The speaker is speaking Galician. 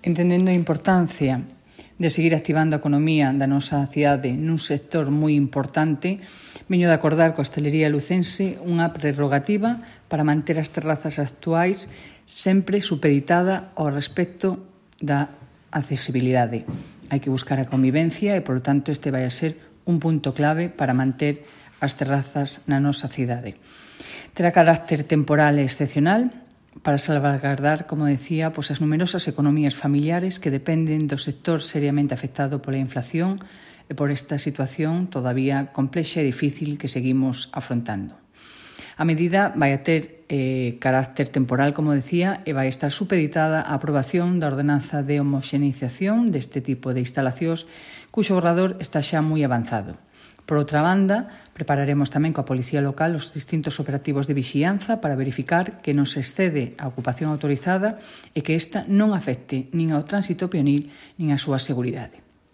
Entendendo a importancia de seguir activando a economía da nosa cidade nun sector moi importante, veño de acordar coa hostalería lucense unha prerrogativa para manter as terrazas actuais sempre supeditada ao respecto da accesibilidade. Hai que buscar a convivencia e, por tanto, este vai a ser un punto clave para manter as terrazas na nosa cidade. Terá carácter temporal e excepcional para salvaguardar, como decía, as numerosas economías familiares que dependen do sector seriamente afectado pola inflación e por esta situación todavía complexa e difícil que seguimos afrontando. A medida vai a ter carácter temporal, como decía, e vai estar supeditada á aprobación da ordenanza de homoxeneización deste tipo de instalacións cuxo borrador está xa moi avanzado. Por outra banda, prepararemos tamén coa Policía Local os distintos operativos de vixianza para verificar que non se excede a ocupación autorizada e que esta non afecte nin ao tránsito peonil nin á súa seguridade.